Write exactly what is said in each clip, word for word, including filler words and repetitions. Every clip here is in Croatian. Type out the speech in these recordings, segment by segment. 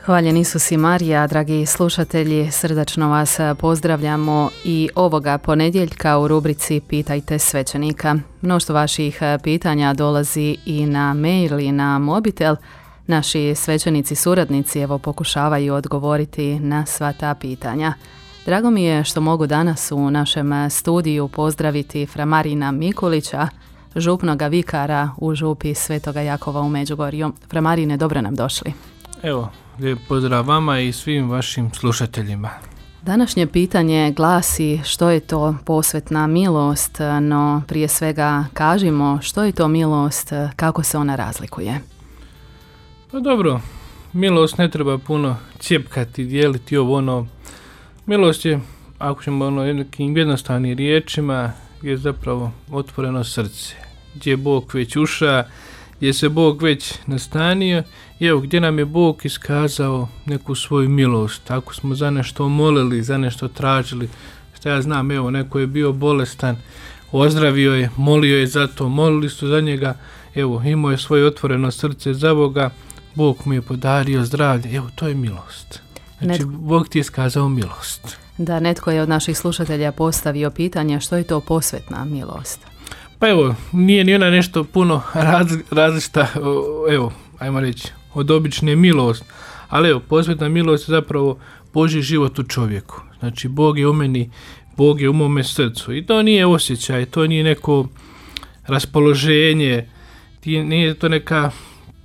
Hvaljen Isus i Marija, dragi slušatelji, srdačno vas pozdravljamo i ovoga ponedjeljka u rubrici Pitajte svećenika. Mnoštvo vaših pitanja dolazi i na mail i na mobitel. Naši svećenici suradnici evo pokušavaju odgovoriti na sva ta pitanja. Drago mi je što mogu danas u našem studiju pozdraviti fra Marina Mikulića, župnoga vikara u župi Svetoga Jakova u Međugorju. Fra Marine, dobro nam došli. Evo, lijep pozdrav vama i svim vašim slušateljima. Današnje pitanje glasi što je to posvetna milost, no prije svega kažimo što je to milost, kako se ona razlikuje. Pa dobro, milost ne treba puno cjepkati, dijeliti ovo ono. Milost je, ako ćemo ono nekim jednostavnim riječima, je zapravo otvoreno srce, gdje je Bog već uša, gdje se Bog već nastanio i evo gdje nam je Bog iskazao neku svoju milost. Ako smo za nešto molili, za nešto tražili, što ja znam, evo neko je bio bolestan, ozdravio je, molio je za to, molili su za njega, evo imao je svoje otvoreno srce za Boga, Bog mu je podario zdravlje, evo to je milost. Znači Netko... Bog ti je iskazao milost. Da, netko je od naših slušatelja postavio pitanje što je to posvetna milost. Pa evo, nije ni ona nešto puno raz, različita, evo, ajmo reći, od obične milost, ali evo, posvetna milost je zapravo Božji život u čovjeku. Znači, Bog je u meni, Bog je u mome srcu i to nije osjećaj, to nije neko raspoloženje, nije to neka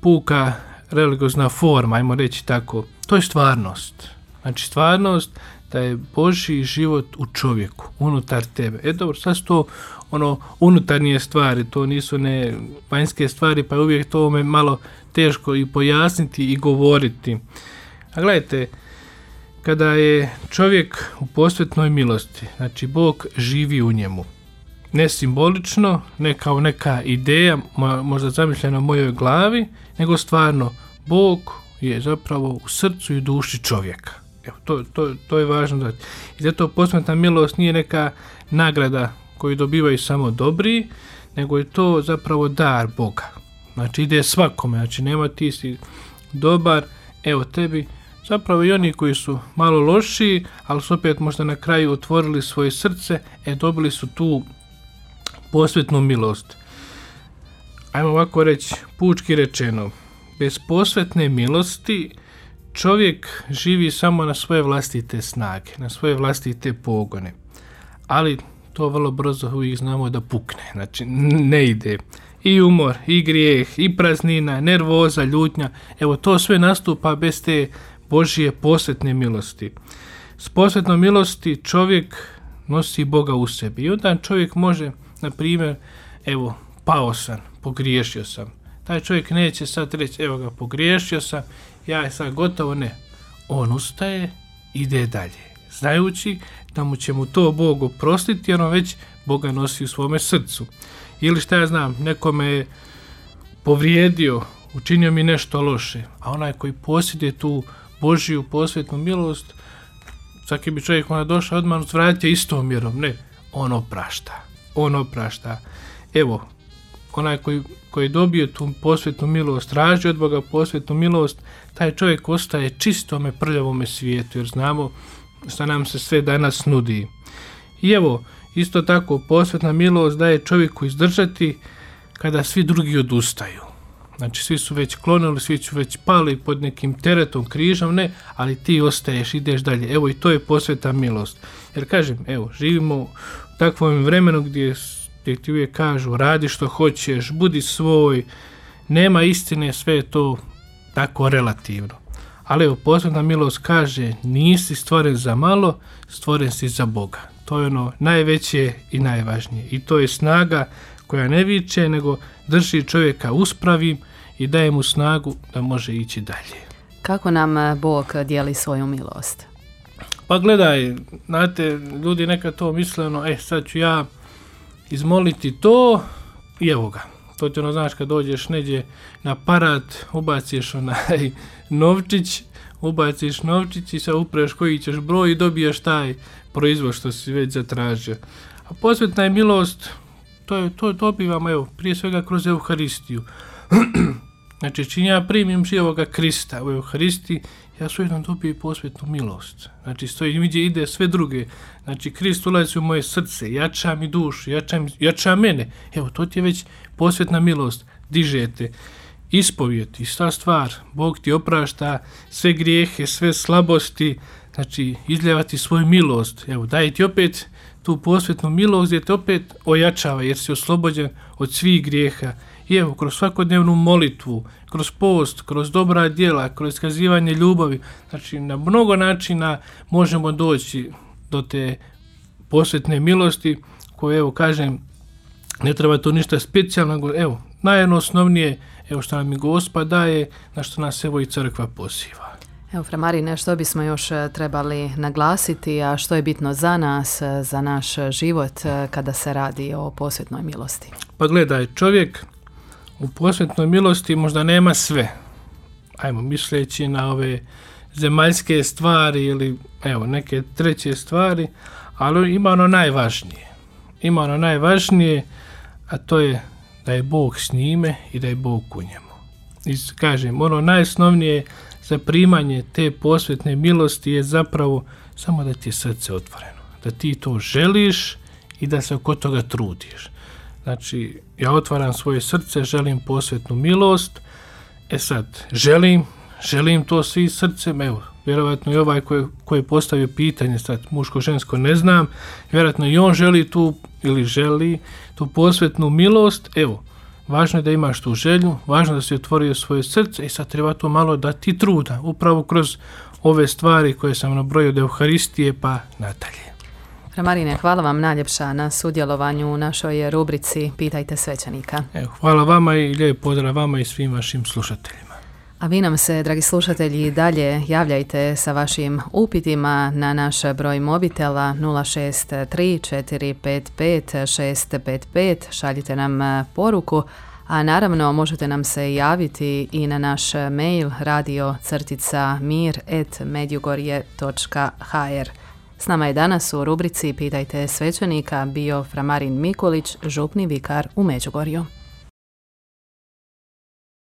puka religiozna forma, ajmo reći tako, to je stvarnost. Znači, stvarnost da je Božji život u čovjeku, unutar tebe. E dobro, sad su to ono unutarnje stvari, to nisu ne vanjske stvari, pa je uvijek to me malo teško i pojasniti i govoriti. A gledajte, kada je čovjek u posvetnoj milosti, znači Bog živi u njemu. Ne simbolično, ne kao neka ideja, možda zamišljena u mojoj glavi, nego stvarno, Bog je zapravo u srcu i duši čovjeka. Evo, to, to, to je važno da. I zato posvetna milost nije neka nagrada koju dobivaju samo dobri, nego je to zapravo dar Boga. Znači ide svakome, znači nema ti si dobar, evo tebi, zapravo i oni koji su malo lošiji, ali su opet možda na kraju otvorili svoje srce, e dobili su tu posvetnu milost. Ajmo ovako reći, pučki rečeno, bez posvetne milosti čovjek živi samo na svoje vlastite snage, na svoje vlastite pogone. Ali to vrlo brzo uvijek znamo da pukne, znači ne ide. I umor, i grijeh, i praznina, nervoza, ljutnja, evo to sve nastupa bez te Božje posvetne milosti. S posvetnom milosti čovjek nosi Boga u sebi i onda čovjek može, na primjer, evo, pao sam, pogriješio sam. Taj čovjek neće sad reći, evo ga, pogriješio sam, ja je sad gotovo, ne. On ustaje, ide dalje, znajući da mu će mu to Bog oprostiti jer on već Boga nosi u svome srcu. Ili šta ja znam, nekome je povrijedio, učinio mi nešto loše, a onaj koji posjeduje tu Božju posvetnu milost, svaki bi čovjek onda došao odmah uzvratiti istom mjerom, ne, on oprašta, on oprašta. Evo, onaj koji, koji dobije tu posvetnu milost, traži od Boga posvetnu milost, taj čovjek ostaje čistome prljavome svijetu, jer znamo što nam se sve danas nudi. I evo, isto tako, posvetna milost daje čovjeku izdržati kada svi drugi odustaju. Znači, svi su već klonili, svi su već pali pod nekim teretom, križom, ne, ali ti ostaješ, ideš dalje. Evo, i to je posvetna milost. Jer kažem, evo, živimo u takvom vremenu gdje, gdje ti uvijek kažu, radi što hoćeš, budi svoj, nema istine, sve je to tako relativno. Ali evo, posvetna milost kaže, nisi stvoren za malo, stvoren si za Boga. To je ono najveće i najvažnije. I to je snaga koja ne viče, nego drži čovjeka uspravim i daje mu snagu da može ići dalje. Kako nam Bog dijeli svoju milost? Pa gledaj, znate, ljudi nekad to misle, ono, e, sad ću ja izmoliti to i evo ga. To ti ono, znaš, kad dođeš neđe na aparat, ubaciš onaj novčić, ubaciš novčić i sad upreš koji ćeš broj i dobiješ taj proizvod što si već zatražio. A posvetna je milost, to, je, to dobivamo, evo, prije svega kroz Euharistiju. Znači, čim ja primim živoga Krista u Euharistiji, ja sujedno dobijem posvetnu milost. Znači, stoji gdje ide sve druge. Znači, Krist ulazi u moje srce, jača mi dušu, jača, mi, jača mene. Evo, to ti je već posvetna milost. Dižete, ispovijed, ista stvar. Bog ti oprašta sve grijehe, sve slabosti. Znači, izljevati svoju milost. Evo, daje ti opet tu posvetnu milost gdje te opet ojačava jer si oslobođen od svih grijeha. I evo, kroz svakodnevnu molitvu, kroz post, kroz dobra djela, kroz iskazivanje ljubavi, znači na mnogo načina možemo doći do te posvetne milosti koje, evo, kažem, ne treba to ništa specijalno, evo, najosnovnije, evo što nam i Gospod daje, na što nas evo i crkva poziva. Evo, fra Marine, što bismo još trebali naglasiti, a što je bitno za nas, za naš život kada se radi o posvetnoj milosti? Pa gledaj, čovjek u posvetnoj milosti možda nema sve, ajmo, misleći na ove zemaljske stvari ili evo neke treće stvari, ali ima ono najvažnije. Ima ono najvažnije, a to je da je Bog s njime i da je Bog u njemu. I kažem, ono najosnovnije za primanje te posvetne milosti je zapravo samo da ti je srce otvoreno, da ti to želiš i da se oko toga trudiš. Znači, ja otvaram svoje srce, želim posvetnu milost, e sad, želim, želim to svi srcem, evo, vjerovatno i ovaj koji, koji je postavio pitanje, sad muško-žensko ne znam, vjerojatno i on želi tu, ili želi tu posvetnu milost, evo, važno je da imaš tu želju, važno je da si otvorio svoje srce i sad treba to malo da ti truda, upravo kroz ove stvari koje sam nabrojio od Euharistije pa nadalje. Fra Marine, hvala vam najljepša na sudjelovanju u našoj rubrici Pitajte svećenika. Evo, hvala vama i lijep pozdrav vama i svim vašim slušateljima. A vi nam se, dragi slušatelji, dalje javljajte sa vašim upitima na naš broj mobitela nula šest tri četiri pet pet šest pet pet, šaljite nam poruku, a naravno možete nam se javiti i na naš mail radio crtica mir at medjugorje točka ha er. S nama je danas u rubrici Pitajte svećenika bio fra Marin Mikulić, župni vikar u Međugorju.